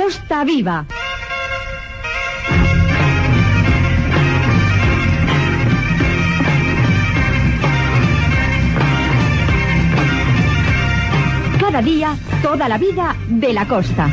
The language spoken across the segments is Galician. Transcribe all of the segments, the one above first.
Costa Viva. Cada día, toda la vida de la costa.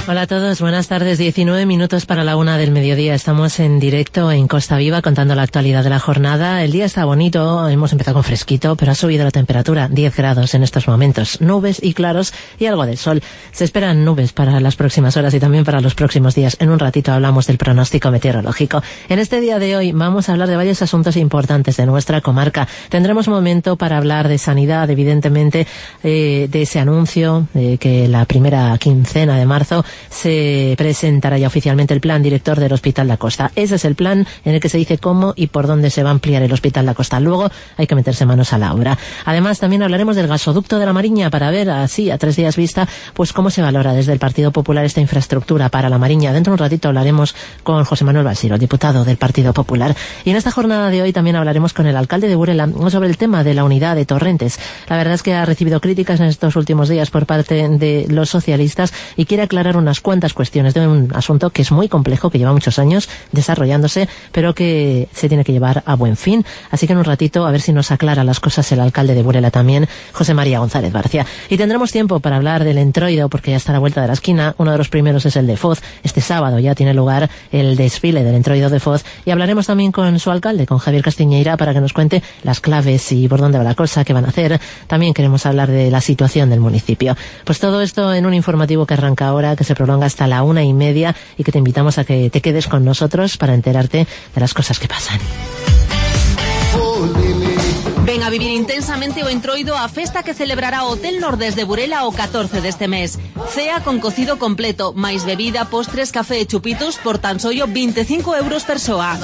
Hola a todos, buenas tardes. 19 minutos para la 1 del mediodía. Estamos en directo en Costa Viva contando la actualidad de la jornada. El día está bonito, hemos empezado con fresquito, pero ha subido la temperatura, 10 grados en estos momentos. Nubes y claros y algo de sol. Se esperan nubes para las próximas horas y también para los próximos días. En un ratito hablamos del pronóstico meteorológico. En este día de hoy vamos a hablar de varios asuntos importantes de nuestra comarca. Tendremos un momento para hablar de sanidad, evidentemente, de ese anuncio de que la primera quincena de marzo se presentará ya oficialmente el plan director del Hospital da Costa. Ese es el plan en el que se dice cómo y por dónde se va a ampliar el Hospital da Costa. Luego hay que meterse manos a la obra. Además, también hablaremos del gasoducto de la Mariña para ver así, a 3 días vista, pues cómo se valora desde el Partido Popular esta infraestructura para la Mariña. Dentro de un ratito hablaremos con José Manuel Balsiro, el diputado del Partido Popular. Y en esta jornada de hoy también hablaremos con el alcalde de Burela sobre el tema de la unidad de Torrentes. La verdad es que ha recibido críticas en estos últimos días por parte de los socialistas y quiere aclarar unas cuantas cuestiones de un asunto que es muy complejo, que lleva muchos años desarrollándose, pero que se tiene que llevar a buen fin. Así que en un ratito a ver si nos aclara las cosas el alcalde de Burela también, José María González Barcia. Y tendremos tiempo para hablar del entroido, porque ya está a la vuelta de la esquina. Uno de los primeros es el de Foz. Este sábado ya tiene lugar el desfile del entroido de Foz y hablaremos también con su alcalde, con Javier Castiñeira, para que nos cuente las claves y por dónde va la cosa, qué van a hacer. También queremos hablar de la situación del municipio. Pues todo esto en un informativo que arranca ahora, que se prolonga hasta la 1:30 y que te invitamos a que te quedes con nosotros para enterarte de las cosas que pasan. Ven a vivir intensamente o entroido a festa que celebrará Hotel Nordés de Burela o 14 deste mes. Cea con cocido completo, máis bebida, postres, café e chupitos por tan solo 25 euros persoa.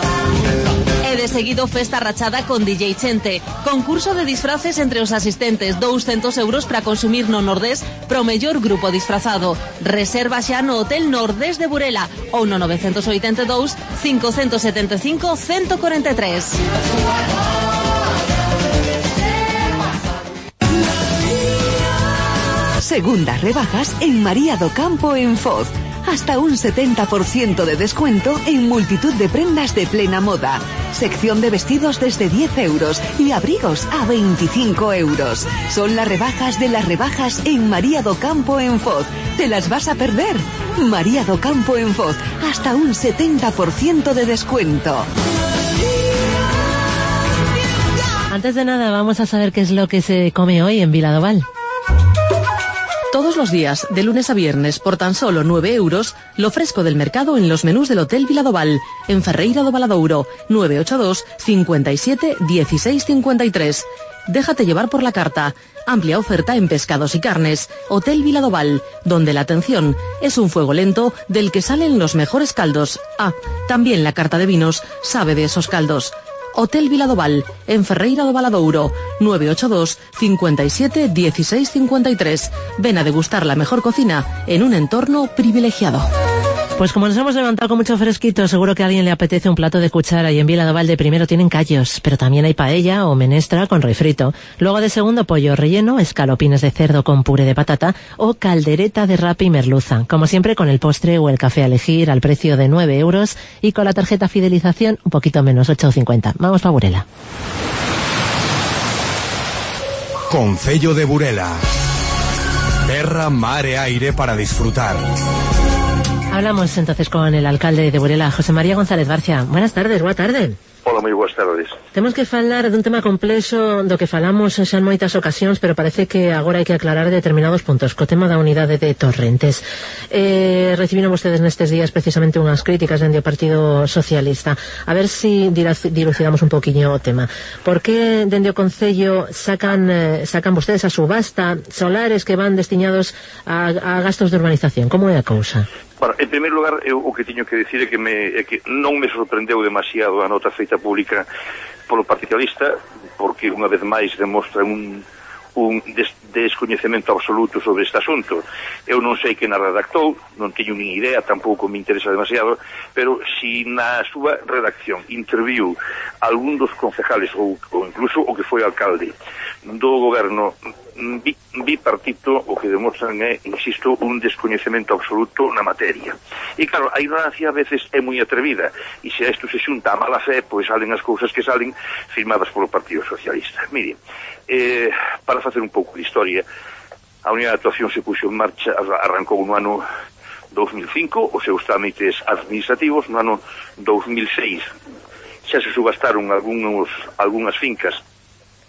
E de seguido festa rachada con DJ Chente. Concurso de disfraces entre os asistentes, 200 euros para consumir no Nordés pro mellor grupo disfrazado. Reserva xa no Hotel Nordés de Burela ou no 982 575 143. Segundas rebajas en María do Campo en Foz. Hasta un 70% de descuento en multitud de prendas de plena moda. Sección de vestidos desde 10 euros y abrigos a 25 euros. Son las rebajas de las rebajas en María do Campo en Foz. ¿Te las vas a perder? María do Campo en Foz. Hasta un 70% de descuento. Antes de nada, vamos a saber qué es lo que se come hoy en Viladoval. Todos los días, de lunes a viernes, por tan solo 9 euros, lo fresco del mercado en los menús del Hotel Viladoval, en Ferreira do Valadouro, 982 57 16 53. Déjate llevar por la carta. Amplia oferta en pescados y carnes. Hotel Viladoval, donde la atención es un fuego lento del que salen los mejores caldos. Ah, también la carta de vinos sabe de esos caldos. Hotel Viladoval, en Ferreira do Valadouro, 982 57 16 53. Ven a degustar la mejor cocina en un entorno privilegiado. Pues como nos hemos levantado con mucho fresquito, seguro que a alguien le apetece un plato de cuchara, y en Viladoval de primero tienen callos, pero también hay paella o menestra con refrito. Luego de segundo, pollo relleno, escalopines de cerdo con puré de patata o caldereta de rape y merluza. Como siempre, con el postre o el café a elegir al precio de 9 euros y con la tarjeta fidelización un poquito menos, 8,50. Vamos pa' Burela. Concello de Burela. Terra, mar e aire para disfrutar. Hablamos entonces con el alcalde de Burela, José María González Barcia. Buenas tardes, boa tarde. Hola, moi boas tardes. Temos que falar dun tema complexo do que falamos xa en moitas ocasións, pero parece que agora hai que aclarar determinados puntos. Co tema da unidade de Torrentes. Recibiron vostedes nestes días precisamente unhas críticas dende o Partido Socialista. A ver si dilucidamos un poquinho o tema. Por que dende o Concello sacan vostedes a subasta solares que van destinados a gastos de urbanización? Como é a cousa? Bueno, en primeiro lugar, eu o que tiño que dicir é que non me sorprendeu demasiado a nota feita pública polo Partido Socialista, porque unha vez máis demostra un un descoñecemento absoluto sobre este asunto. Eu non sei quen a redactou, non teño nin idea, tampouco me interesa demasiado, pero si na súa redacción interviu algún dos concejales ou incluso o que foi alcalde do goberno bipartito, o que demostran é, insisto, un descoñecemento absoluto na materia. E claro, a ignorancia a veces é moi atrevida, e se a isto se xunta a mala fe, pois salen as cousas que salen firmadas polo Partido Socialista. Mire, para facer un pouco de historia, a Unidade de Actuación se puxo en marcha, arrancou no ano 2005, os seus trámites administrativos no ano 2006. Xa se subastaron algunhas fincas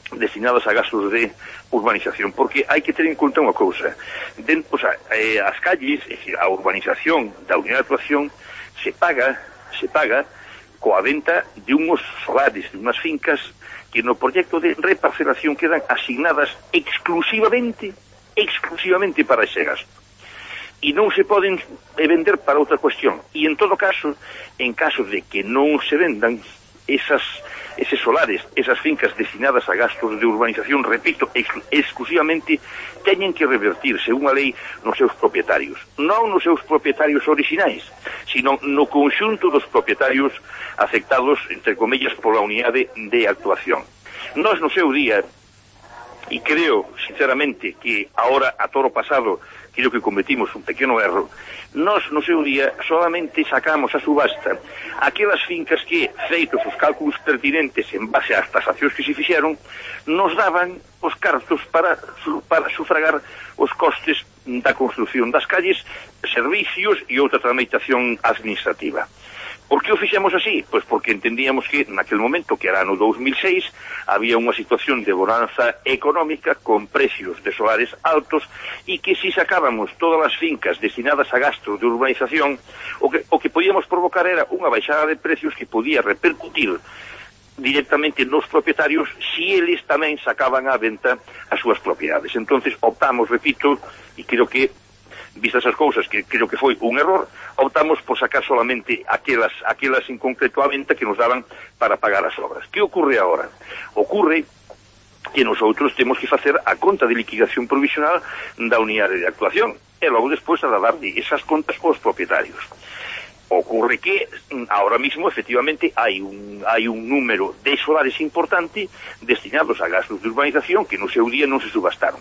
destinadas a gastos de urbanización, porque hai que ter en conta unha cousa. As calles, é dicir, a urbanización da Unidade de Actuación se paga coa venta de unhos solares, de unhas fincas que no proxecto de reparcelación quedan asignadas exclusivamente para ese gasto. E non se poden vender para outra cuestión. E en todo caso, en caso de que non se vendan eses solares, esas fincas destinadas a gastos de urbanización, repito, exclusivamente, teñen que revertirse unha lei nos seus propietarios. Non nos seus propietarios orixinais, sino no conxunto dos propietarios afectados, entre comillas, pola unidade de actuación. Nós no seu día, e creo, sinceramente, que ahora, a toro pasado, creo que cometimos un pequeno erro, nós no seu día solamente sacamos a subasta aquelas fincas que, feitos os cálculos pertinentes en base ás tasacións que se fixeron, nos daban os cartos para sufragar os costes da construción das calles, servicios e outra tramitación administrativa. Por que o fixemos así? Pois porque entendíamos que naquel momento, que era no 2006, había unha situación de bonanza económica con precios de solares altos e que si sacábamos todas as fincas destinadas a gastos de urbanización, o que podíamos provocar era unha baixada de precios que podía repercutir directamente nos propietarios si eles tamén sacaban á venta as súas propiedades. Entonces optamos, repito, e creo que vistas as cousas, que creo que foi un error, optamos por sacar solamente aquelas en concreto a venta que nos daban para pagar as obras. Que ocorre agora? Ocorre que nosotros temos que facer a conta de liquidación provisional da unidade de actuación e logo despois a dar esas contas aos propietarios. Ocorre que ahora mismo efectivamente hai un número de solares importante destinados a gastos de urbanización que no seu día non se subastaron.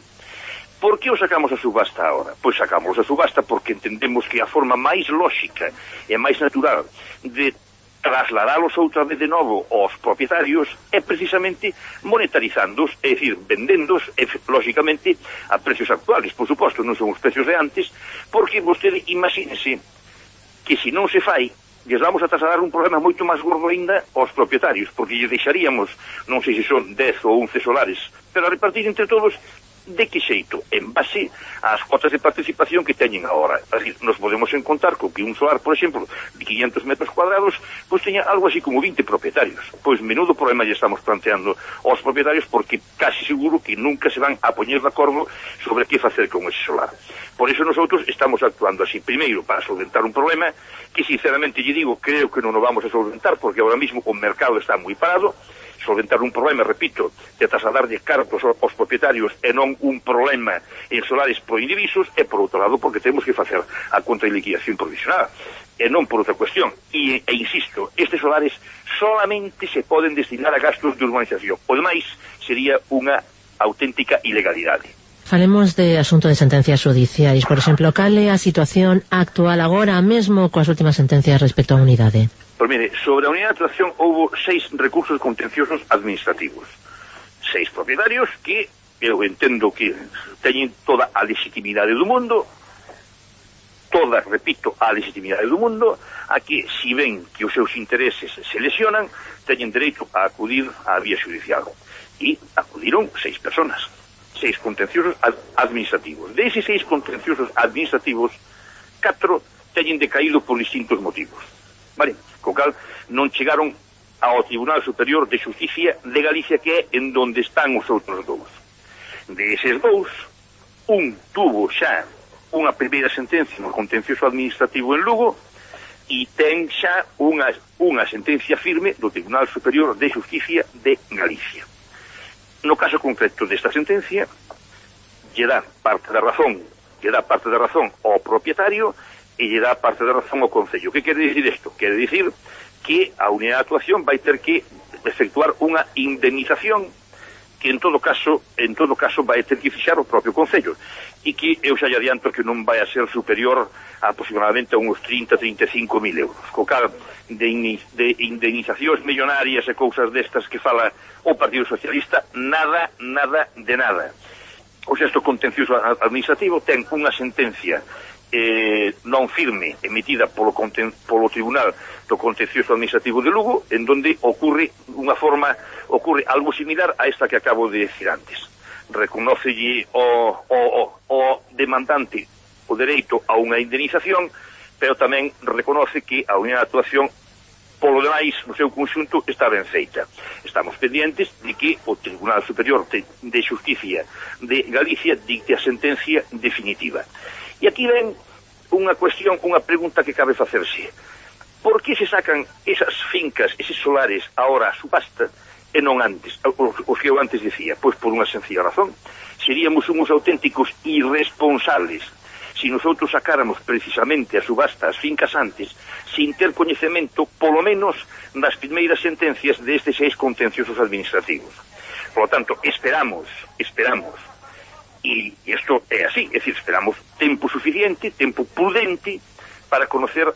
Por que o sacamos a subasta agora? Pois sacamos a subasta porque entendemos que a forma máis lóxica e máis natural de trasladalos outra vez de novo aos propietarios é precisamente monetarizándoos, é dicir, vendéndoos, lógicamente, a precios actuales. Por suposto, non son os precios de antes, porque vostede imagínese que se non se fai, lles vamos a trasladar un problema moito máis gordo ainda aos propietarios, porque lle deixaríamos, non sei se son 10 ou 11 solares, pero a repartir entre todos. De que xeito? En base ás cotas de participación que teñen agora. Así, nos podemos encontrar con que un solar, por exemplo, de 500 metros cuadrados, pois teña algo así como 20 propietarios. Pois menudo problema lle estamos planteando aos propietarios, porque casi seguro que nunca se van a poñer de acordo sobre que facer con ese solar. Por eso nosotros estamos actuando así. Primeiro, para solventar un problema que, sinceramente, lle digo, creo que non o vamos a solventar, porque ahora mismo o mercado está moi parado. Solventar un problema, repito, de trasladarlle cartos aos propietarios e non un problema en solares proindivisos, e por outro lado porque temos que facer a conta de liquidación provisional e non por outra cuestión. E insisto, estes solares solamente se poden destinar a gastos de urbanización, o demais sería unha auténtica ilegalidade. Falemos de asunto de sentencias judiciais. Por exemplo, cal é a situación actual agora mesmo coas últimas sentencias respecto á unidade? Pois mire, sobre a unidade de actuación houve 6 recursos contenciosos administrativos. 6 propietarios que eu entendo que teñen toda a legitimidade do mundo, toda, repito, a legitimidade do mundo, a que, si ven que os seus intereses se lesionan, teñen dereito a acudir á vía judicial. E acudiron 6 personas, 6 contenciosos administrativos. Deses 6 contenciosos administrativos, 4 teñen decaído por distintos motivos. Vale, co cal non chegaron ao Tribunal Superior de Xusticia de Galicia, que é en donde están os outros dous. Deses dous, un tuvo xa unha primeira sentencia no contencioso administrativo en Lugo e ten xa unha sentencia firme do Tribunal Superior de Xusticia de Galicia. No caso concreto desta sentencia, lle dá parte da razón ao propietario e lle dá parte da razón ao Concello. Que quere dicir isto? Quere dicir que a unidade de actuación vai ter que efectuar unha indemnización que en todo caso vai ter que fixar o propio Concello, e que eu xa lle adianto que non vai a ser superior a aproximadamente a uns 30-35 mil euros. Co cal de indemnizacións millonarias e cousas destas que fala o Partido Socialista, nada de nada. O xesto contencioso administrativo ten unha sentencia non firme emitida polo Tribunal do Contencioso Administrativo de Lugo, en donde ocurre algo similar a esta que acabo de decir antes. Reconócelle o demandante o dereito a unha indemnización, pero tamén reconoce que a unidade de actuación polo demais, no seu conxunto, está ben feita. Estamos pendientes de que o Tribunal Superior de Xusticia de Galicia dicte a sentencia definitiva. E aquí ven unha cuestión, unha pregunta que cabe facerse. Por que se sacan esas fincas, eses solares, ahora a subasta, e non antes? Os que eu antes dicía, pois por unha sencilla razón. Seríamos uns auténticos irresponsables se nosotros sacáramos precisamente a subasta as fincas antes, sin ter coñecemento, polo menos, das primeiras sentencias destes 6 contenciosos administrativos. Por lo tanto, esperamos, e isto é así, é dicir, esperamos tempo suficiente, tempo prudente, para conocer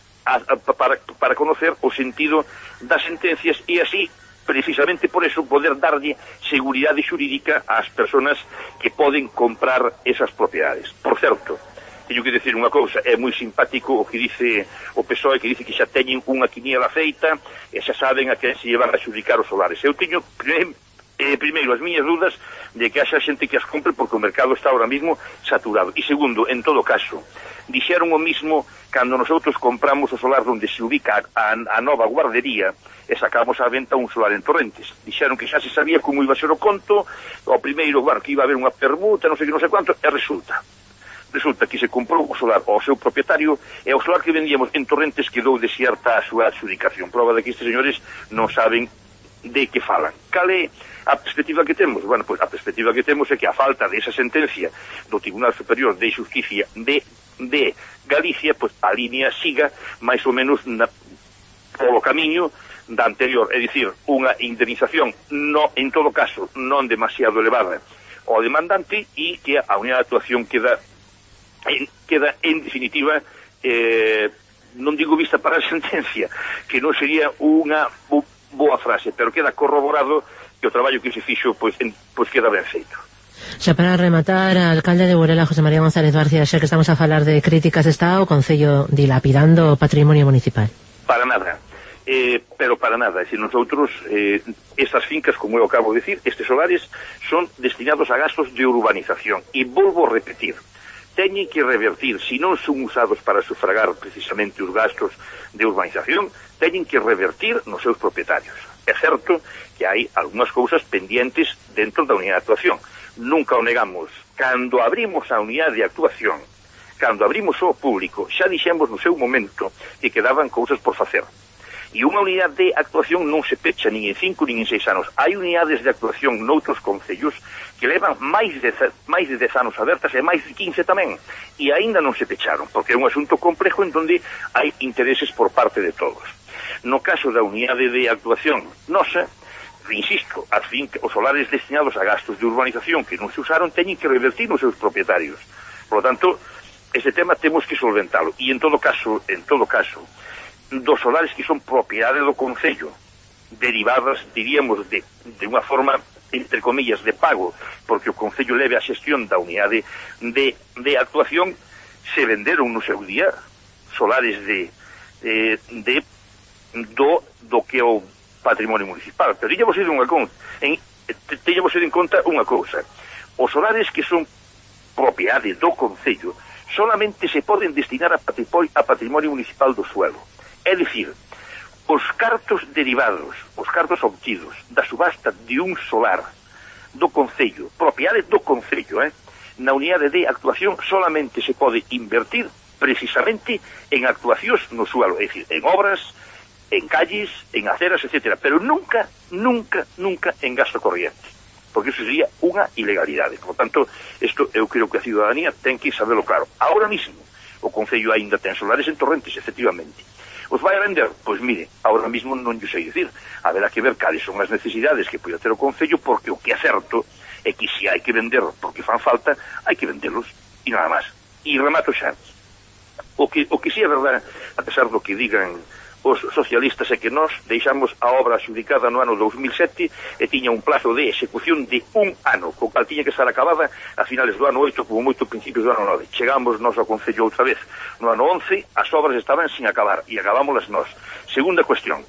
o sentido das sentencias, e así, precisamente por eso, poder darlle seguridade xurídica ás persoas que poden comprar esas propiedades. Por certo, teño que decir unha cousa, é moi simpático o que dice o PSOE, que dice que xa teñen unha quiniela feita e xa saben a que se llevan a xudicar os solares. Eu teño primeiro as miñas dudas de que haxa xente que as compre, porque o mercado está ahora mismo saturado. E segundo, en todo caso, dixeron o mismo cando nosotros compramos o solar onde se ubica a nova guardería e sacamos á venta un solar en Torrentes. Dixeron que xa se sabía como iba a ser o conto, o primeiro, que iba a haber unha permuta, non sei que, non sei quanto, e resulta que se comprou o solar ao seu propietario e o solar que vendíamos en Torrentes quedou desierta a súa adjudicación. Prova de que estes señores non saben de que falan. Cal é a perspectiva que temos? Bueno, pois a perspectiva que temos é que a falta desa sentencia do Tribunal Superior de Xusticia de Galicia, pois a línea siga máis ou menos polo camiño da anterior, é dicir, unha indemnización en todo caso non demasiado elevada ao demandante, e que a unidade de actuación queda en definitiva, non digo vista para a sentencia, que non sería unha boa frase, pero queda corroborado que o traballo que se fixo pois queda ben feito. Xa para rematar, alcalde de Burela, José María González García, xa que estamos a falar de críticas, está o Concello dilapidando o patrimonio municipal? Para nada, pero para nada. Se nosotros, estas fincas, como eu acabo de decir, estes solares son destinados a gastos de urbanización, e volvo a repetir, teñen que revertir, se non son usados para sufragar precisamente os gastos de urbanización, teñen que revertir nos seus propietarios. É certo que hai algunhas cousas pendientes dentro da unidade de actuación. Nunca o negamos. Cando abrimos a unidade de actuación, cando abrimos ao público, xa dixemos no seu momento que quedaban cousas por facer. E unha unidade de actuación non se pecha nin en 5 nin en 6 anos. Hai unidades de actuación noutros concellos que levan máis de 10 anos abertas, e máis de 15 tamén, e aínda non se pecharon, porque é un asunto complejo en donde hai intereses por parte de todos. No caso da unidade de actuación nosa, insisto, os solares destinados a gastos de urbanización que non se usaron teñen que revertir nos seus propietarios. Por lo tanto, este tema temos que solventalo, e en todo caso, dos solares que son propiedade do Concello, derivadas, diríamos, de unha forma, entre comillas, de pago, porque o Concello leve a xestión da unidade de actuación, se venderon no seu día solares do que é o patrimonio municipal. Pero teñamos ido en conta unha cousa. Os solares que son propiedade do Concello solamente se poden destinar a patrimonio municipal do suelo. É dicir, os cartos derivados, os cartos obtidos da subasta de un solar do Concello, propiedade do Concello, na unidade de actuación solamente se pode invertir precisamente en actuacións no suelo, é dicir, en obras, en calles, en aceras, etc. Pero nunca en gasto corriente. porque eso sería unha ilegalidade. Por tanto, isto eu creo que a ciudadanía ten que saberlo claro. Ahora mismo, o Concello aínda ten solares en Torrentes, efectivamente. Os vai a vender? Pois mire, ahora mismo non lle sei dicir. Haberá que ver cales son as necesidades que pode ter o Concello, porque o que é certo é que se hai que vender porque fan falta, hai que venderlos, e nada máis. E remato xa. O que sí é verdade, a pesar do que digan os socialistas, é que nós deixamos a obra adxudicada no ano 2007 e tiña un plazo de execución de 1 ano, co cal tiña que estar acabada a finales do ano 8, como moito principios do ano 9. Chegamos nós ao Concello outra vez no ano 11, as obras estaban sin acabar e acabámolas nós. Segunda cuestión,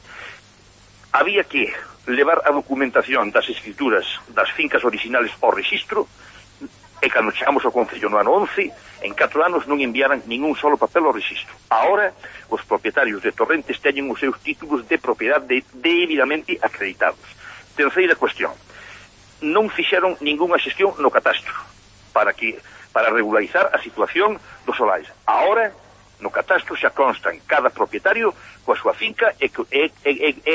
había que levar a documentación das escrituras das fincas originales ao rexistro, e cando chegamos ao Concello no ano 11, en 4 anos non enviaran ningún solo papel ao rexistro. Ahora, os propietarios de Torrentes teñen os seus títulos de propiedade debidamente acreditados. Terceira cuestión, non fixeron ningunha xestión no catastro para regularizar a situación dos solares. Ahora, no catastro xa constan cada propietario coa súa finca e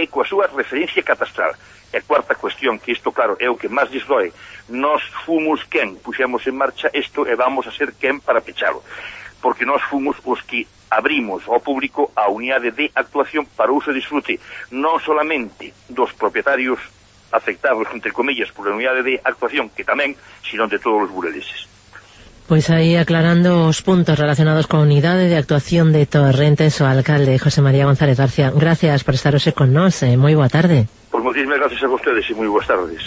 coa súa referencia catastral. E cuarta cuestión, que isto, claro, é o que máis lles doe, nós fomos quen puxemos en marcha isto e vamos a ser quen para pechalo, porque nós fomos os que abrimos ao público a unidade de actuación para uso e disfrute non solamente dos propietarios afectados, entre comillas, por a unidade de actuación, que tamén, sino de todos os bureleses. Pues ahí aclarando os puntos relacionados con unidade de actuación de Torrentes, o alcalde José María González García. Gracias por estar hoxe con nós, moi boa tarde. Pues muchísimas gracias a ustedes y muy buenas tardes.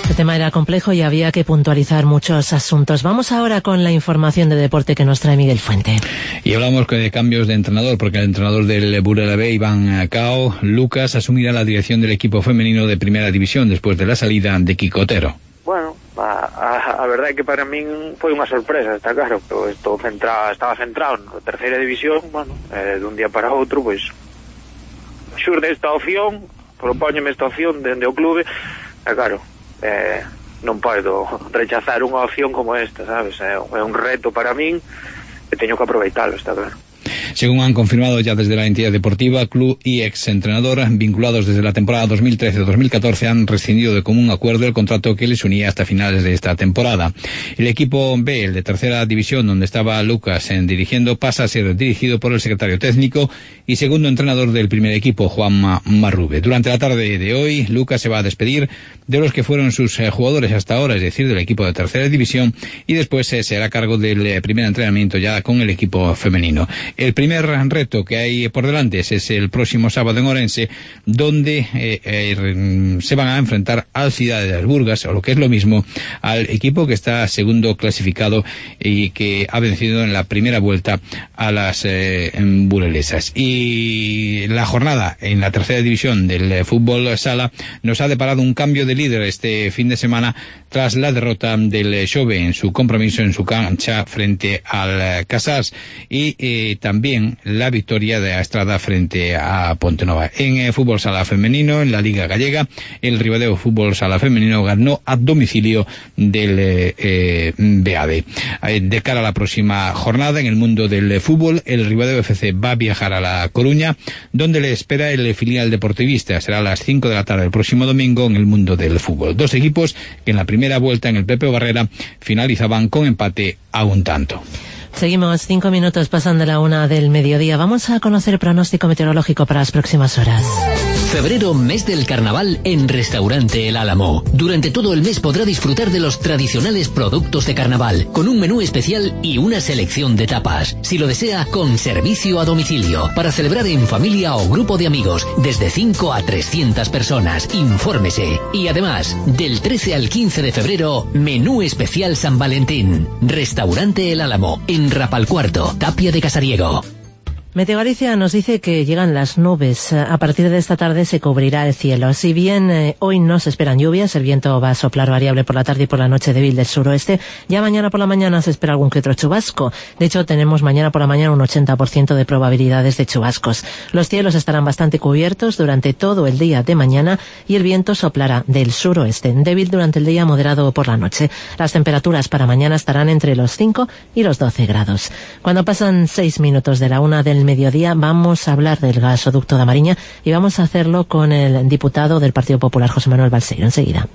El tema era complejo y había que puntualizar muchos asuntos. Vamos ahora con la información de deporte que nos trae Miguel Fuente. Y hablamos de cambios de entrenador, porque el entrenador del Burela B, Iván Cao Lucas, asumirá la dirección del equipo femenino de Primera División después de la salida de Kiko Otero. Bueno, a verdade é que para min foi unha sorpresa, está claro, pero estaba centrado na terceira división, bueno, dun día para outro, pois xurde esta opción, propóñeme esta opción dende o clube, e claro, non podo rechazar unha opción como esta, sabes, é un reto para min e teño que aproveitalo, está claro. Según han confirmado ya desde la entidad deportiva, club y ex-entrenador, vinculados desde la temporada 2013-2014, han rescindido de común acuerdo el contrato que les unía hasta finales de esta temporada. El equipo B, el de tercera división, donde estaba Lucas dirigiendo, pasa a ser dirigido por el secretario técnico y segundo entrenador del primer equipo, Juanma Marrube. Durante la tarde de hoy, Lucas se va a despedir de los que fueron sus jugadores hasta ahora, es decir, del equipo de tercera división, y después se hará cargo del primer entrenamiento ya con el equipo femenino. El primer reto que hay por delante es el próximo sábado en Orense, donde se van a enfrentar al Ciudad de las Burgas, o lo que es lo mismo, al equipo que está segundo clasificado y que ha vencido en la primera vuelta a las burelesas. Y la jornada en la tercera división del fútbol sala nos ha deparado un cambio de líder este fin de semana tras la derrota del Xove en su compromiso en su cancha frente al Casas y también la victoria de Estrada frente a Pontenova. En fútbol sala femenino, en la Liga Gallega, el Ribadeo Fútbol Sala Femenino ganó a domicilio del BAD. De cara a la próxima jornada en el mundo del fútbol, el Ribadeo FC va a viajar a La Coruña, donde le espera el filial deportivista. Será a las 5 de la tarde el próximo domingo en el mundo del fútbol. Dos equipos que en la primera vuelta en el Pepe Barrera finalizaban con empate a un tanto. Seguimos, 5 minutos pasan de la 1 del mediodía. Vamos a conocer el pronóstico meteorológico para las próximas horas. Febrero, mes del carnaval en Restaurante El Álamo. Durante todo el mes podrá disfrutar de los tradicionales productos de carnaval, con un menú especial y una selección de tapas. Si lo desea, con servicio a domicilio, para celebrar en familia o grupo de amigos, desde 5 a 300 personas. Infórmese. Y además, del 13 al 15 de febrero, menú especial San Valentín. Restaurante El Álamo, en Rapalcuarto, Tapia de Casariego. Meteo Galicia nos dice que llegan las nubes. A partir de esta tarde se cubrirá el cielo. Si bien hoy no se esperan lluvias, el viento va a soplar variable por la tarde y por la noche débil del suroeste. Ya mañana por la mañana se espera algún que otro chubasco. De hecho, tenemos mañana por la mañana un 80% de probabilidades de chubascos. Los cielos estarán bastante cubiertos durante todo el día de mañana y el viento soplará del suroeste, débil durante el día, moderado por la noche. Las temperaturas para mañana estarán entre los 5 y los 12 grados. Cuando pasan 6 minutos de la 1 del del mediodía vamos a hablar del gasoducto da Mariña y vamos a hacerlo con el diputado del Partido Popular, José Manuel Balseiro, enseguida.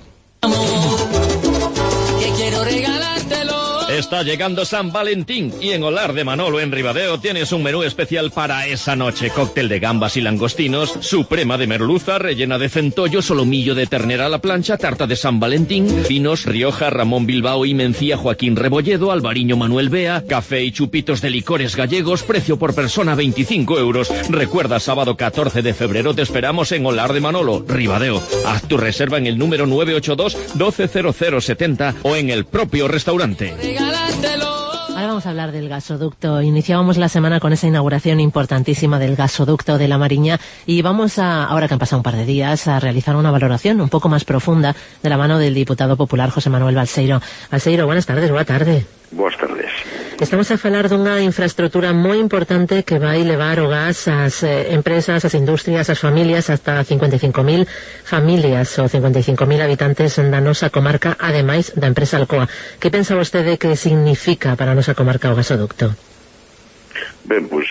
Está llegando San Valentín y en Olar de Manolo en Ribadeo tienes un menú especial para esa noche. Cóctel de gambas y langostinos, suprema de merluza, rellena de centollo, solomillo de ternera a la plancha, tarta de San Valentín, vinos Rioja, Ramón Bilbao y Mencía Joaquín Rebolledo, Alvariño Manuel Bea, café y chupitos de licores gallegos, precio por persona 25 euros. Recuerda, sábado 14 de febrero te esperamos en Olar de Manolo, Ribadeo. Haz tu reserva en el número 982-120070 o en el propio restaurante. Ahora vamos a hablar del gasoducto. Iniciábamos la semana con esa inauguración importantísima del gasoducto de la Mariña y vamos a, ahora que han pasado un par de días, a realizar una valoración un poco más profunda de la mano del diputado popular José Manuel Balseiro. Balseiro, buenas tardes, boa tarde. Boas tardes. Estamos a falar dunha infraestructura moi importante que vai levar o gas ás empresas, ás industrias, ás familias, hasta 55.000 familias ou 55.000 habitantes da nosa comarca, ademais da empresa Alcoa. Que pensa vostede que significa para a nosa comarca o gasoducto? Ben, pois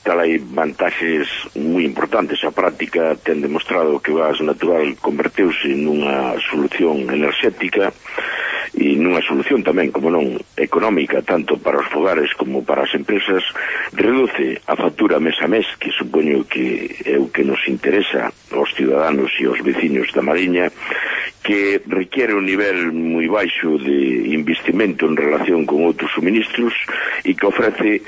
tal hai vantaxes moi importantes. A práctica ten demostrado que o gas natural converteuse nunha solución enerxética e nunha solución tamén, como non, económica, tanto para os fogares como para as empresas. Reduce a factura mes a mes, que supoño que é o que nos interesa aos ciudadanos e aos veciños da Mariña, que requiere un nivel moi baixo de investimento en relación con outros suministros e que ofrece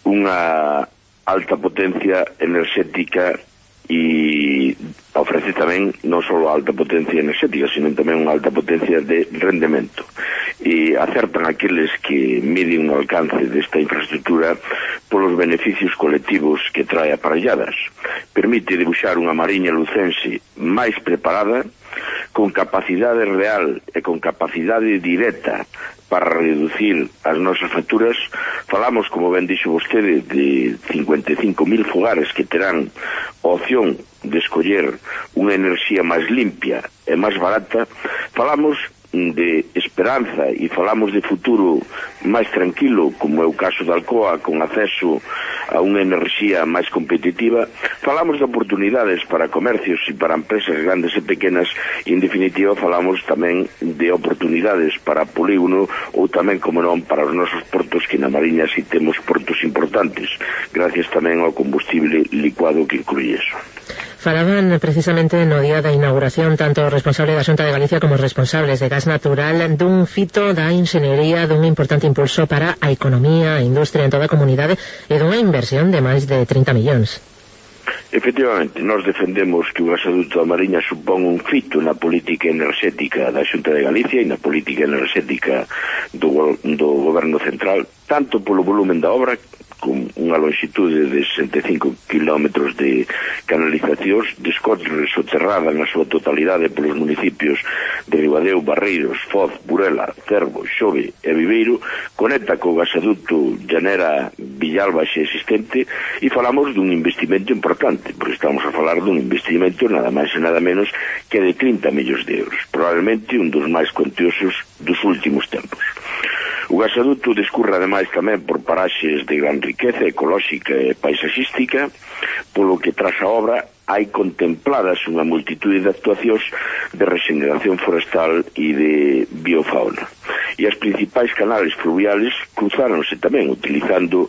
unha alta potencia enerxética e ofrece tamén non só alta potencia enerxética, sino tamén unha alta potencia de rendemento. E acertan aqueles que miden o alcance desta infraestructura polos beneficios colectivos que trae aparelladas. Permite debuxar unha Mariña lucense máis preparada, con capacidade real e con capacidade directa para reducir as nosas facturas. Falamos, como ben dixo vostede, de 55.000 fogares que terán a opción de escoller unha enerxía máis limpia e máis barata. Falamos de esperanza e falamos de futuro máis tranquilo, como é o caso da Alcoa, con acceso a unha enerxía máis competitiva. Falamos de oportunidades para comercios e para empresas grandes e pequenas e, en definitiva, falamos tamén de oportunidades para polígono ou tamén, como non, para os nosos portos, que na Mariña si temos portos importantes, gracias tamén ao combustible licuado que inclui eso. Falaban precisamente no día da inauguración tanto o responsable da Xunta de Galicia como os responsables de gas natural dun fito da enxeñería, dun importante impulso para a economía, a industria en toda a comunidade e dunha inversión de máis de 30 millóns. Efectivamente, nós defendemos que o gasoducto da Mariña supón un fito na política enerxética da Xunta de Galicia e na política enerxética do Goberno Central, tanto polo volumen da obra, con unha longitude de 65 kilómetros de canalizacións, descorre soterrada na súa totalidade polos municipios de Ribadeo, Barreiros, Foz, Burela, Cervo, Xove e Viveiro, conecta co gasoducto Llanera Villalba xa existente, e falamos dun investimento importante, porque estamos a falar dun investimento nada máis e nada menos que de 30 millóns de euros, probablemente un dos máis cuantiosos dos últimos tempos. O gasoduto discurre ademais tamén por paraxes de gran riqueza ecolóxica e paisaxística, polo que tras a obra hai contempladas unha multitude de actuacións de regeneración forestal e de biofauna. E as principais canales fluviales cruzáronse tamén utilizando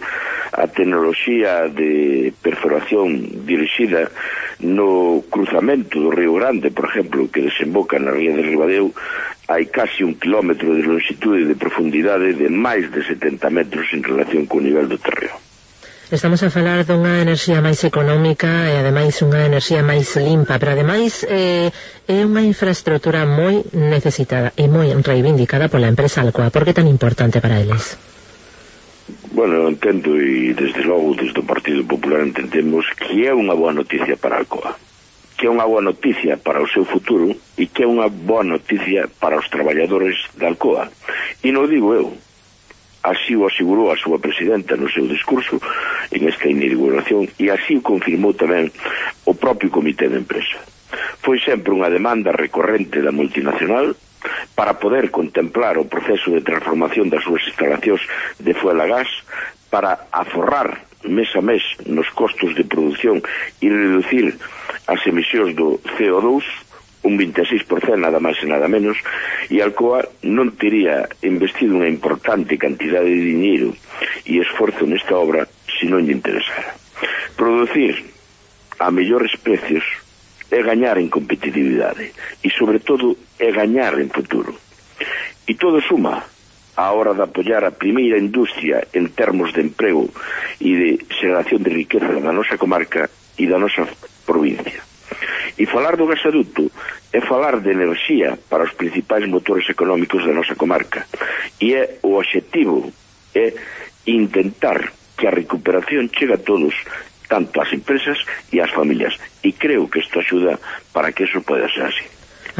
a tecnoloxía de perforación dirixida no cruzamento do Río Grande, por exemplo, que desemboca na ría de Ribadeo. Hai casi 1 kilómetro de longitude de profundidade de máis de 70 metros en relación co nivel do terreo. Estamos a falar dunha enerxía máis económica e ademais unha enerxía máis limpa, pero ademais é unha infraestructura moi necesitada e moi reivindicada pola empresa Alcoa. Por que tan importante para eles? Bueno, entendo, e desde logo desde o Partido Popular entendemos que é unha boa noticia para Alcoa, que é unha boa noticia para o seu futuro e que é unha boa noticia para os traballadores da Alcoa. E non digo eu, así o asegurou a súa presidenta no seu discurso en esta inauguración e así o confirmou tamén o propio comité de empresa. Foi sempre unha demanda recorrente da multinacional para poder contemplar o proceso de transformación das súas instalacións de fuel a gas para aforrar mes a mes nos costos de produción e reducir as emisións do CO2 un 26% nada máis e nada menos, e Alcoa non tería investido unha importante cantidade de dinheiro e esforzo nesta obra se non lle interesara. Producir a mellores precios é gañar en competitividade e, sobre todo, é gañar en futuro. E todo suma a hora de apoiar a primeira industria en termos de emprego e de xeración de riqueza da nosa comarca e da nosa provincia. E falar do gasoduto é falar de enerxía para os principais motores económicos da nosa comarca, e o obxectivo é intentar que a recuperación chegue a todos, tanto ás empresas e ás familias, e creo que isto axuda para que eso poida ser así.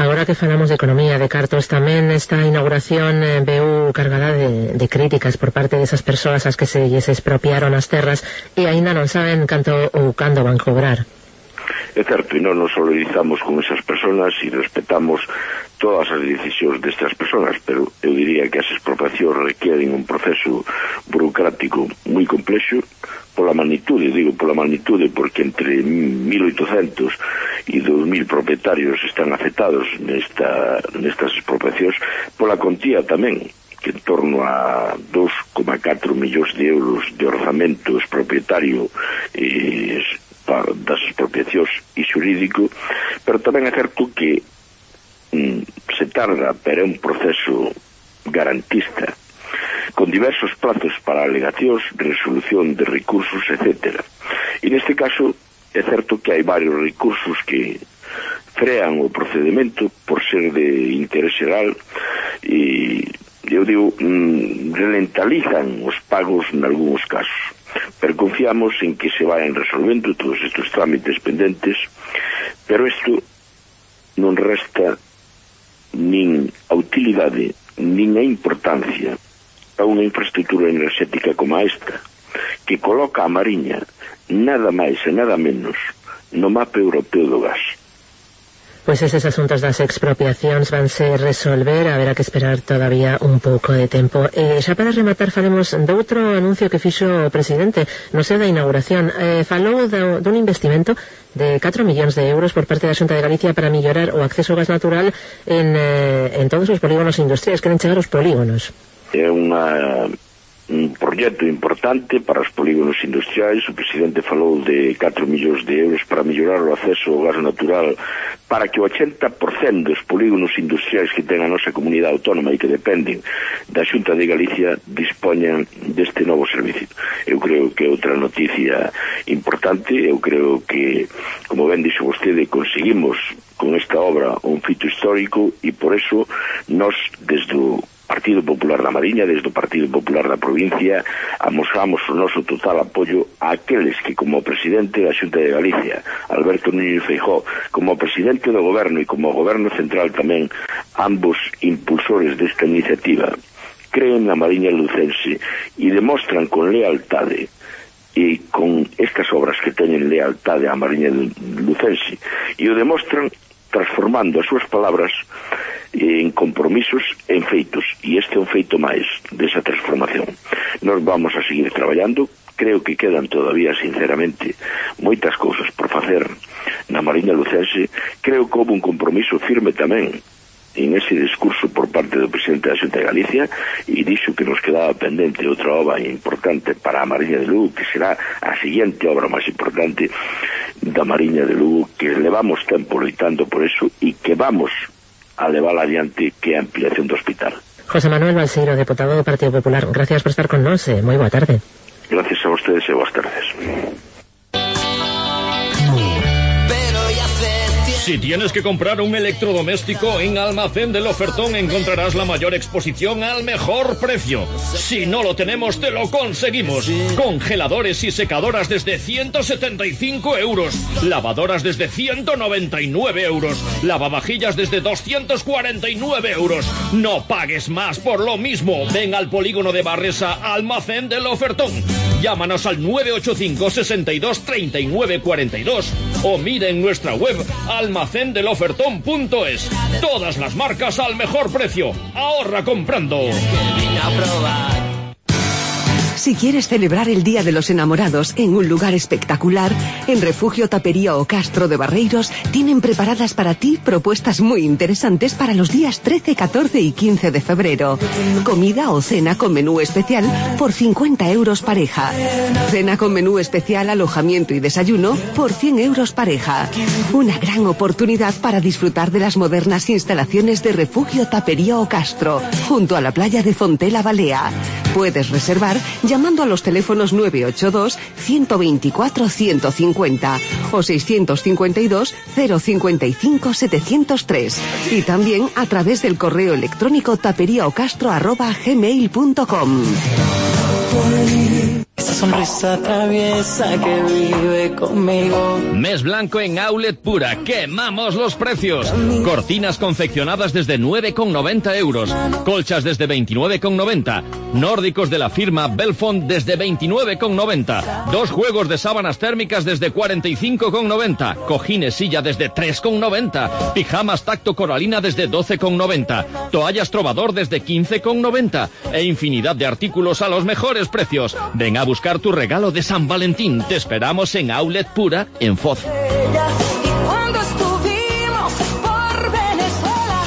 Agora que falamos de economía, de cartos, tamén esta inauguración veu cargada de críticas por parte desas persoas as que se lles expropiaron as terras e aínda non saben canto ou cando van cobrar. É certo, e non nos solidarizamos con esas personas e respetamos todas as decisións destas personas, pero eu diría que as expropiacións requieren un proceso burocrático moi complexo pola magnitude, porque entre 1.800 e 2.000 propietarios están afectados nestas expropiacións, pola contía tamén, que en torno a 2,4 millóns de euros de orzamento expropietario das expropiacións e xurídico, pero tamén é certo que se tarda, pero é un proceso garantista, con diversos plazos para alegacións, resolución de recursos, etc. E neste caso é certo que hai varios recursos que frean o procedimento por ser de interés xeral e, eu digo, ralentizan os pagos nalgúns casos. Pero confiamos en que se vayan resolvendo todos estes trámites pendentes, pero isto non resta nin a utilidade nin a importancia a unha infraestructura enerxética como esta, que coloca a Mariña nada máis e nada menos no mapa europeo do gas. Pois eses asuntos das expropiacións vanse resolver, haberá que esperar todavía un pouco de tempo. Xa para rematar falemos doutro anuncio que fixo o presidente no seu da inauguración. Falou dun investimento de 4 millóns de euros por parte da Xunta de Galicia para mellorar o acceso ao gas natural en todos os polígonos industriais. Queren chegar aos polígonos. É un proxecto importante para os polígonos industriais. O presidente falou de 4 millóns de euros para mellorar o acceso ao gas natural para que o 80% dos polígonos industriais que ten a nosa comunidade autónoma e que dependen da Xunta de Galicia dispoñan deste novo servicio. Eu creo que é outra noticia importante. Eu creo que, como ben dixo vostede, conseguimos con esta obra un fito histórico e por eso nós, desde o Partido Popular da Mariña, desde o Partido Popular da provincia, amosamos o noso total apoio a aqueles que, como presidente da Xunta de Galicia, Alberto Núñez Feijóo, como presidente do Goberno e como Goberno Central tamén, ambos impulsores desta iniciativa, creen na Mariña lucense e demostran con lealtade e con estas obras que teñen lealtade á Mariña lucense, e o demostran transformando as súas palabras en compromisos en feitos, e este é un feito máis desa transformación. Nós vamos a seguir traballando. Creo que quedan todavía, sinceramente, moitas cousas por facer na Mariña lucense. Creo que houve un compromiso firme tamén en ese discurso por parte do presidente da Xunta de Galicia, e dixo que nos quedaba pendente outra obra importante para a Mariña de Lugo, que será a seguinte obra máis importante da Mariña de Lugo, que levamos tempo loitando por eso e que vamos a levar adiante, que é a ampliación do hospital. José Manuel Balseiro, deputado do Partido Popular, gracias por estar con nós, moi boa tarde. Gracias a vostedes e boas tardes. Si tienes que comprar un electrodoméstico, en Almacén del Ofertón encontrarás la mayor exposición al mejor precio. Si no lo tenemos, te lo conseguimos. Congeladores y secadoras desde 175 euros. Lavadoras desde 199 euros. Lavavajillas desde 249 euros. No pagues más por lo mismo. Ven al polígono de Barresa, Almacén del Ofertón. Llámanos al 985 62 39 42 o mira en nuestra web almacendelofertón.es. Todas las marcas al mejor precio. Ahorra comprando. Si quieres celebrar el Día de los Enamorados en un lugar espectacular, en Refugio Tapería o Castro de Barreiros tienen preparadas para ti propuestas muy interesantes para los días 13, 14 y 15 de febrero. Comida o cena con menú especial por 50 euros pareja. Cena con menú especial, alojamiento y desayuno por 100 euros pareja. Una gran oportunidad para disfrutar de las modernas instalaciones de Refugio Tapería o Castro, junto a la playa de Fontela Balea. Puedes reservar llamando a los teléfonos 982 124 150 o 652 055 703 y también a través del correo electrónico taperiaocastro@gmail.com. Esa sonrisa traviesa que vive conmigo. Mes blanco en Outlet Pura. ¡Quemamos los precios! Cortinas confeccionadas desde 9,90 euros. Colchas desde 29,90. Nórdicos de la firma Belfont desde 29,90. 2 juegos de sábanas térmicas desde 45,90. Cojines silla desde 3,90. Pijamas tacto coralina desde 12,90. Toallas Trovador desde 15,90. E infinidad de artículos a los mejores precios. Ven a buscar tu regalo de San Valentín. Te esperamos en Outlet Pura, en Foz. Cuando estuvimos por Venezuela,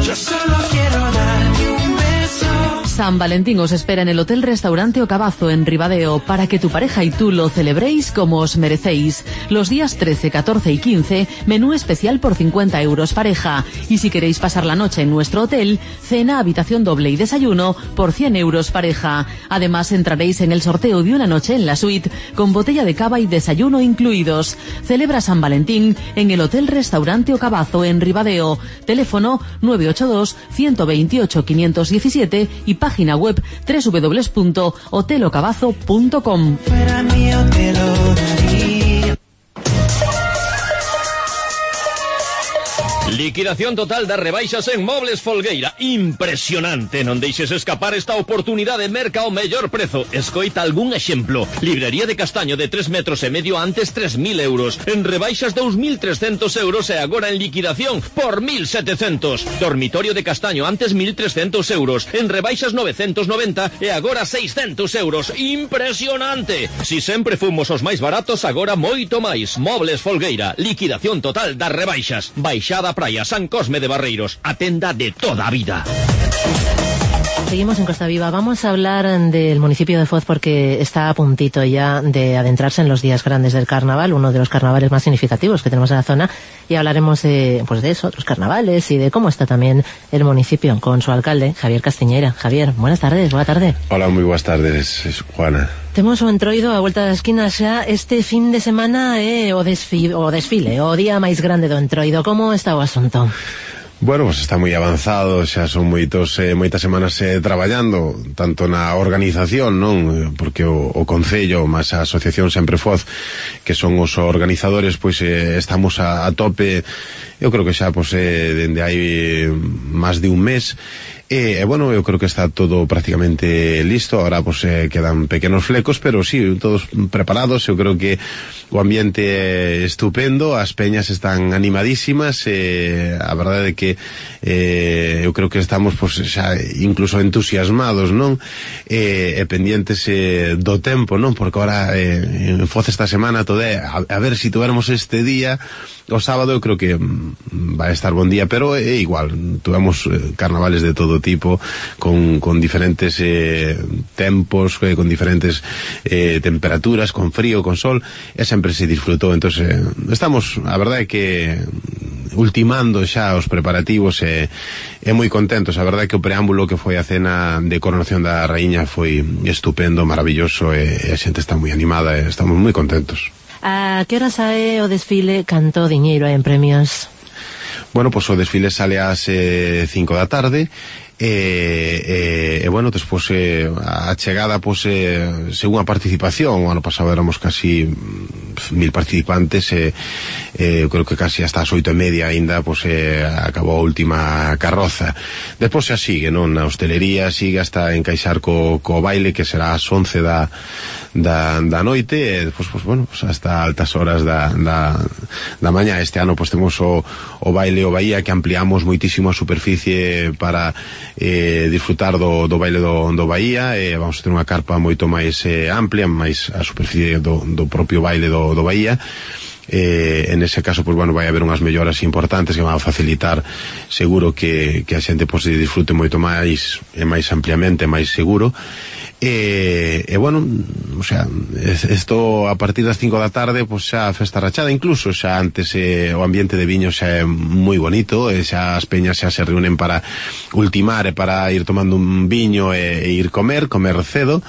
yo solo quiero darte un beso. San Valentín os espera en el Hotel Restaurante Ocabazo en Ribadeo para que tu pareja y tú lo celebréis como os merecéis. Los días 13, 14 y 15, menú especial por 50 euros pareja. Y si queréis pasar la noche en nuestro hotel, cena, habitación doble y desayuno por 100 euros pareja. Además entraréis en el sorteo de una noche en la suite con botella de cava y desayuno incluidos. Celebra San Valentín en el Hotel Restaurante Ocabazo en Ribadeo. Teléfono 982 128 517 y página web www.hotelocabazo.com. Fuera mío te lo daría. Liquidación total das rebaixas en Mobles Folgueira. Impresionante. Non deixes escapar esta oportunidade. Merca ao mellor prezo. Escoita algún exemplo. Librería de castaño de 3,5 metros antes 3.000 euros. En rebaixas 2.300 euros e agora en liquidación por 1.700. Dormitorio de castaño antes 1.300 euros. En rebaixas 990 e agora 600 euros. Impresionante. Si sempre fomos os máis baratos, agora moito máis. Mobles Folgueira. Liquidación total das rebaixas. Baixada Praia, San Cosme de Barreiros, a tenda de toda a vida. Seguimos en Costa Viva. Vamos a hablar del municipio de Foz porque está a puntito ya de adentrarse en los días grandes del carnaval, uno de los carnavales más significativos que tenemos en la zona, y hablaremos de eso, otros carnavales y de cómo está también el municipio con su alcalde, Javier Castiñeira. Javier, buenas tardes, boa tarde. Hola, moi boas tardes, Juana. Temos o entroido a vuelta das esquinas xa este fin de semana o desfile, o día máis grande do entroido. Como está o asunto? Bueno, pues está moi avanzado, xa son moitas semanas traballando, tanto na organización, non? Porque o Concello, máis a Asociación Sempre Foz, que son os organizadores, pois estamos a tope, eu creo que xa dende hai máis de un mes. Bueno, eu creo que está todo prácticamente listo. Ahora quedan pequenos flecos, pero sí, todos preparados. Eu creo que o ambiente é estupendo, as peñas están animadísimas, a verdade é que eu creo que estamos xa incluso entusiasmados, non? E pendientes do tempo, non? Porque ahora en Foz esta semana todo é a ver si tuéramos este día. O sábado eu creo que vai estar bon día, pero é igual, tuvemos carnavales de todo tipo, con diferentes tempos, con diferentes temperaturas, con frío, con sol, e sempre se disfrutou. Entonces estamos, a verdade é que ultimando xa os preparativos e moi contentos. A verdade é que o preámbulo que foi a cena de coronación da raíña foi estupendo, maravilloso, e a xente está moi animada e estamos moi contentos. A que hora sae o desfile? Canto diñeiro hai en premios? Bueno, o desfile sale ás 5 da tarde e bueno, despois a chegada según a participación, o ano pasado éramos casi 1.000 participantes, eu creo que casi hasta as 8:30 aínda acabou a última carroza. Despois xa sigue, non? Na hostelería sigue hasta encaixar co baile, que será ás 11 da noite, e despois, bueno, hasta altas horas da mañá. Este ano temos o baile o Bahía, que ampliamos moitísimo a superficie para disfrutar do baile do Bahía. Vamos a ter unha carpa moito máis amplia, máis a superficie do propio baile do Bahía. En ese caso, pues bueno, vai haber unhas melloras importantes que van a facilitar seguro que a xente pues disfrute moito máis e máis ampliamente, máis seguro. Bueno, o sea, isto a partir das 5 da tarde pues xa a festa rachada, incluso xa antes o ambiente de viño xa é moi bonito, xa as peñas xa se reúnen para ultimar e para ir tomando un viño e ir comer cedo.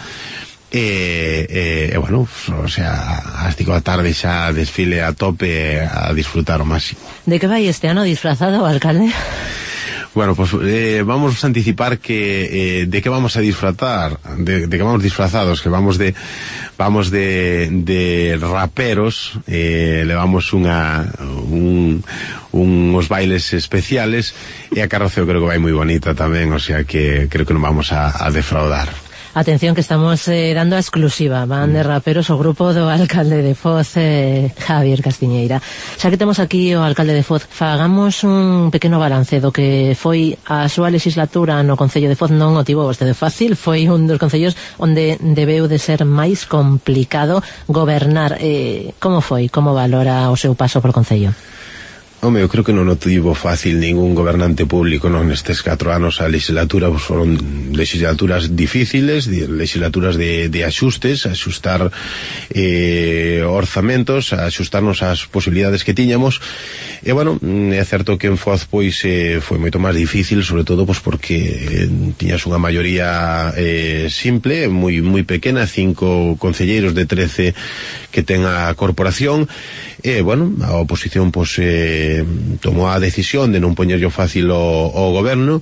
Bueno, o sea, as 5 da tarde xa desfile a tope a disfrutar o máximo. De que vai este ano disfrazado o alcalde? Bueno, pues vamos a anticipar que de qué vamos a disfrutar, de que vamos disfrazados, que vamos de raperos, levamos unos bailes especiales e a carroza eu creo que vai moi bonita tamén, o sea que creo que non vamos a defraudar. Atención que estamos dando a exclusiva. Van de raperos o grupo do alcalde de Foz, Javier Castiñeira. Xa que temos aquí o alcalde de Foz, fagamos un pequeno balance do que foi a súa legislatura no Concello de Foz. Non o tivo vostede fácil, foi un dos concellos onde debeu de ser máis complicado gobernar. Como foi? Como valora o seu paso por Concello? Home, eu creo que non o tivo fácil ningún gobernante público nestes 4 anos. A legislatura pues, foron legislaturas difíciles, legislaturas de axustes, axustar orzamentos, axustarnos ás posibilidades que tiñamos. E bueno, é certo que en Foz pois foi moito máis difícil, sobre todo pues, porque tiñas unha maioría simple, moi pequena, 5 concelleiros de 13 que ten a corporación. Bueno, a oposición pues tomou a decisión de non poñerlo fácil o goberno.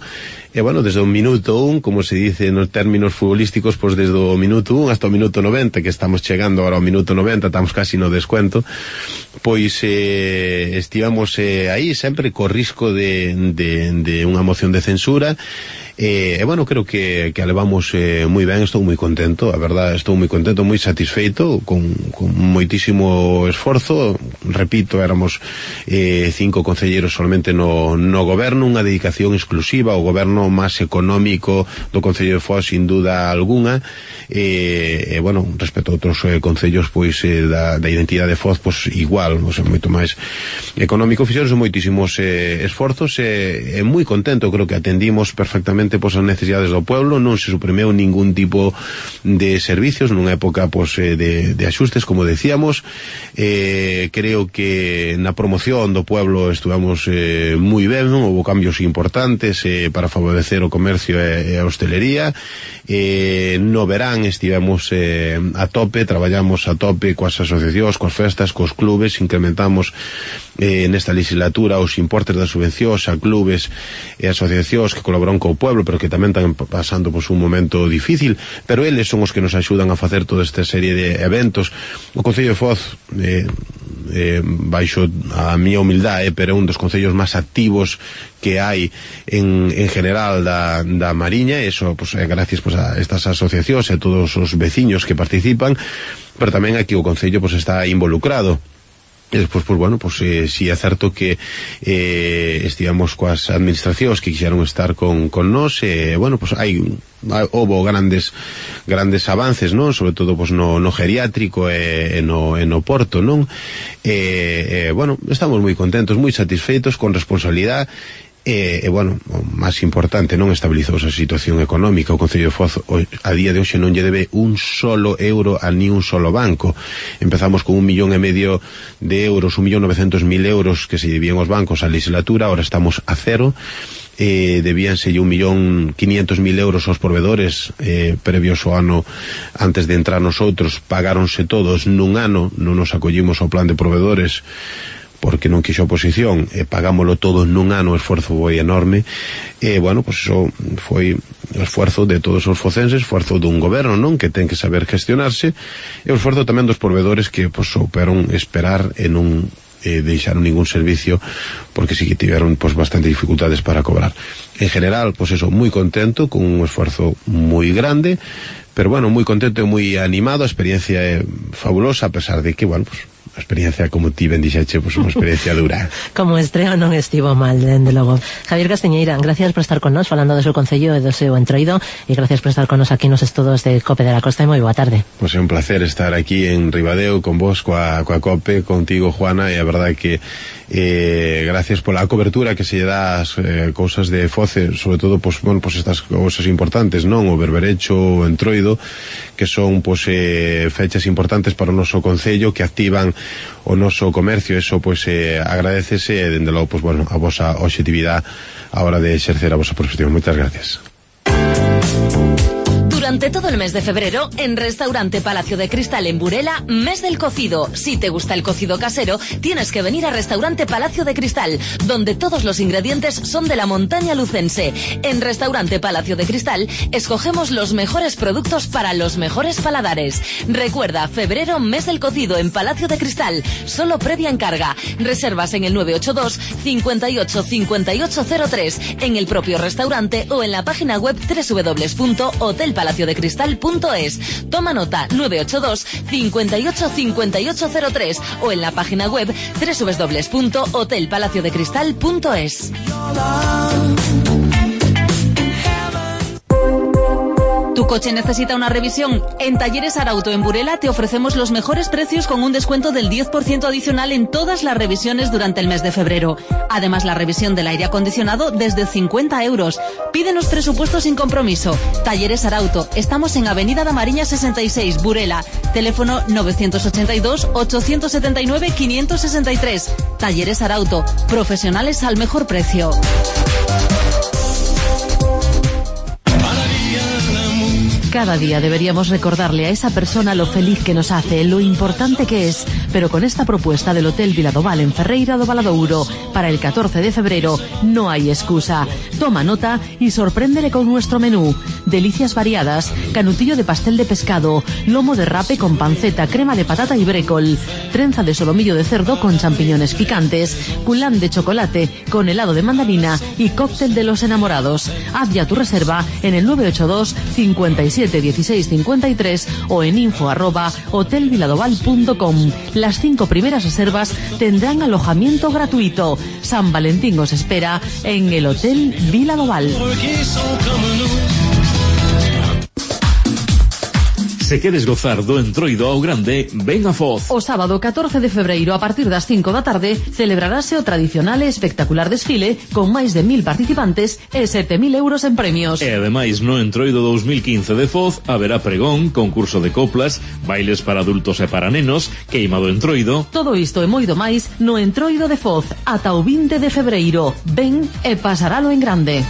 E bueno, desde o minuto 1, como se dice nos términos futbolísticos, pues desde o minuto 1 hasta o minuto 90, que estamos chegando agora ao minuto 90, estamos casi no descuento, pois estivamos aí sempre co risco de unha moción de censura. Bueno, creo que a levamos moi ben, estou moi contento, a verdad, estou moi contento, moi satisfeito, con moitísimo esforzo. Repito, éramos 5 concelleiros solamente no goberno, unha dedicación exclusiva ao goberno máis económico do Concello de Foz, sin duda alguna. Bueno, respecto a outros concellos pois da identidade de Foz, pois igual, o sea, moito máis económico. Fixeronse moitísimos esforzos, e moi contento, creo que atendimos perfectamente pois as necesidades do pueblo, non se suprimeu ningún tipo de servicios nunha época pois de axustes, como decíamos. Creo que na promoción do pueblo estuvamos moi ben, houve cambios importantes para favorecer o comercio e a hostelería. No verán estivemos a tope, traballamos a tope coas asociacións, coas festas, cos clubes, incrementamos nesta legislatura os importes das subvencións a clubes e asociacións que colaboran co pueblo, pero que tamén están pasando pues, un momento difícil, pero eles son os que nos axudan a facer toda esta serie de eventos. O Concello de Foz, baixo a miña humildade, pero é un dos concellos máis activos que hai en general da Mariña. Eso pues, gracias pues, a estas asociacións e a todos os veciños que participan, pero tamén aquí o Concello pues, está involucrado. E despois, pues bueno, pues si é certo que estivamos coas administracións que quixeron estar con nós, bueno, pues houve grandes avances, non? Sobre todo pues no geriátrico e no porto, non? Bueno, estamos moi contentos, moi satisfeitos, con responsabilidade. Bueno, o máis importante, non estabilizou a situación económica. O Concello de Foz a día de hoxe non lle debe un solo euro a ni un solo banco. Empezamos con 1,5 millón de euros, 1.900.000 euros que se debían os bancos a legislatura, ahora estamos a cero. Debíanse 1.500.000 euros aos provedores previos ao ano antes de entrar nosotros, pagáronse todos nun ano, non nos acollimos ao plan de provedores porque non quixo oposición, pagámoslo todo nun ano. O esforzo foi enorme, bueno, pues eso foi o esforzo de todos os focenses, esforzo dun goberno, non, que ten que saber gestionarse, e o esforzo tamén dos provedores que pues souperon esperar e non deixaron ningún servicio, porque sí que tiveron pues bastante dificultades para cobrar. En general, pues eso, moi contento, con un esforzo moi grande, pero bueno, moi contento e moi animado. A experiencia é fabulosa, a pesar de que, bueno, pues a experiencia, como ti ben dixeche, pois unha experiencia dura. Como estreo non estivo mal, dende logo. Javier Castiñeira, gracias por estar con nós falando do seu concello e do seu entroido, e gracias por estar con nos aquí nos estudos de COPE de la Costa, e moi boa tarde. Pois é un placer estar aquí en Ribadeo con vos, coa COPE, contigo, Juana, e a verdade que gracias pola cobertura que se lle dá as cousas de Foce, sobre todo pois estas cousas importantes, non? O berberecho, o entroido, que son fechas importantes para o noso concello, que activan o noso comercio. Eso agradecese, e dende logo a vosa objetividade a hora de exercer a vosa profesión. Moitas gracias. Durante todo el mes de febrero, en Restaurante Palacio de Cristal en Burela, mes del cocido. Si te gusta el cocido casero, tienes que venir a Restaurante Palacio de Cristal, donde todos los ingredientes son de la montaña lucense. En Restaurante Palacio de Cristal, escogemos los mejores productos para los mejores paladares. Recuerda, febrero, mes del cocido en Palacio de Cristal, solo previa encarga. Reservas en el 982 58 5803, en el propio restaurante o en la página web www.hotelpalaciodecristal.es. Toma nota, 982 58 5803 o en la página web www.hotelpalaciodecristal.es. ¿Tu coche necesita una revisión? En Talleres Arauto en Burela te ofrecemos los mejores precios con un descuento del 10% adicional en todas las revisiones durante el mes de febrero. Además, la revisión del aire acondicionado desde 50 euros. Pídenos presupuesto sin compromiso. Talleres Arauto. Estamos en Avenida da Mariña 66, Burela. Teléfono 982-879-563. Talleres Arauto. Profesionales al mejor precio. Cada día deberíamos recordarle a esa persona lo feliz que nos hace, lo importante que es, pero con esta propuesta del Hotel Viladoval en Ferreira do Valadouro para el 14 de febrero no hay excusa. Toma nota y sorpréndele con nuestro menú. Delicias variadas, canutillo de pastel de pescado, lomo de rape con panceta, crema de patata y brécol, trenza de solomillo de cerdo con champiñones picantes, culán de chocolate con helado de mandarina y cóctel de los enamorados. Haz ya tu reserva en el 982 57 16 53 o en info@hotelviladoval.com. Las 5 primeras reservas tendrán alojamiento gratuito. San Valentín os espera en el Hotel Viladoval. Se queres gozar do entroido ao grande, ven a Foz. O sábado 14 de febreiro a partir das 5 da tarde celebrarase o tradicional e espectacular desfile con máis de 1000 participantes e 7000 euros en premios. E ademais no entroido 2015 de Foz haberá pregón, concurso de coplas, bailes para adultos e para nenos, queima do entroido. Todo isto e moito máis no entroido de Foz ata o 20 de febreiro. Ven e pasaralo en grande.